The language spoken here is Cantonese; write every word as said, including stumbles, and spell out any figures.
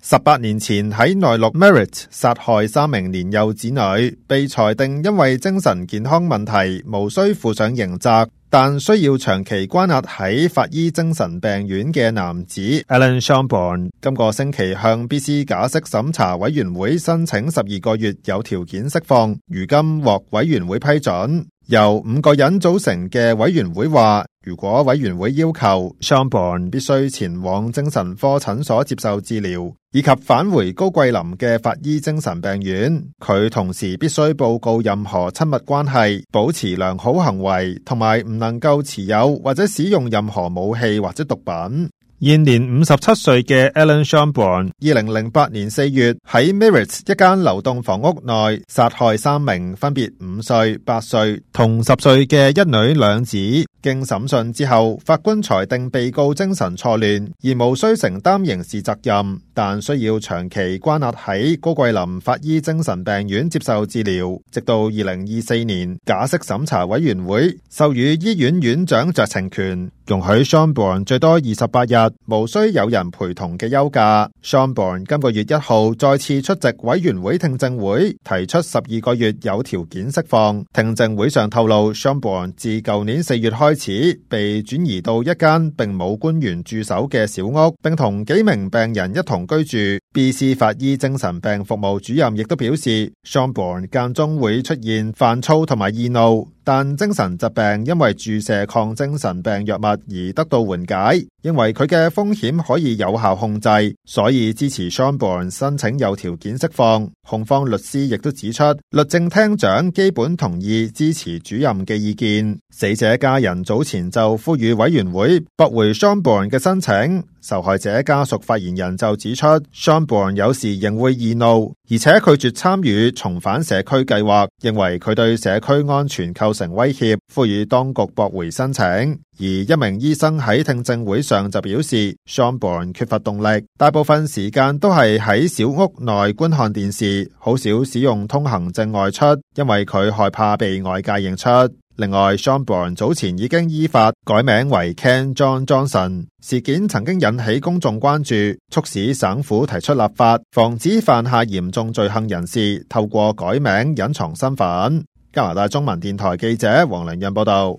十八年前喺內陸 Merit 殺害三名年幼子女，被裁定因為精神健康問題無需負上刑責，但需要長期關押喺法醫精神病院嘅男子 Alan Shelbourne， 今個星期向 B C 假釋審查委員會申請十二個月有條件釋放，如今獲委員會批准。由五個人組成嘅委員會話，如果委員會要求 Shelbourne 必須前往精神科診所接受治療，以及返回高桂林嘅法醫精神病院，佢同時必須報告任何親密關係，保持良好行為，同埋唔能夠持有或者使用任何武器或者毒品。現年五十七歲嘅 Alan Shelbourne， 二零零八年四月喺 Merit 一間流動房屋內殺害三名分別五歲、八歲同十歲嘅一女兩子。經審訊之後，法官裁定被告精神錯亂，而無需承擔刑事責任，但需要長期關押喺高桂林法醫精神病院接受治療，直到二零二四年假釋審查委員會授予醫院院長酌情權，容許 Shelbourne 最多二十八日無需有人陪同嘅休假。Shelbourne 今個月一號再次出席委員會聽證會，提出十二個月有條件釋放。聽證會上透露 Shelbourne 自舊年四月開始被轉移到一間並冇官員駐守嘅小屋，並同幾名病人一同居住。B C 法醫精神病服務主任亦都表示 Shelbourne 間中會出現煩躁同埋易怒，但精神疾病因為注射抗精神病藥物而得到緩解，因為佢嘅風險可以有效控制，所以支持 Shelbourne 申請有條件釋放。控方律師亦都指出，律政廳長基本同意支持主任嘅意見。死者家人早前就呼籲委員會駁回 Shelbourne 嘅申請。受害者家屬發言人就指出 Shelbourne 有時仍會易怒，而且拒絕參與重返社區計劃，認為佢對社區安全構成威脅，呼籲當局駁回申請。而一名醫生喺聽證會上就表示 Shelbourne 缺乏動力，大部分時間都係喺小屋內觀看電視，好少使用通行證外出，因為佢害怕被外界認出。另外 Shelbourne 早前已經依法改名為 Ken John Johnson， 事件曾經引起公眾關注，促使省府提出立法，防止犯下嚴重罪行人士透過改名隱藏身份。加拿大中文電台記者黃良潤報道。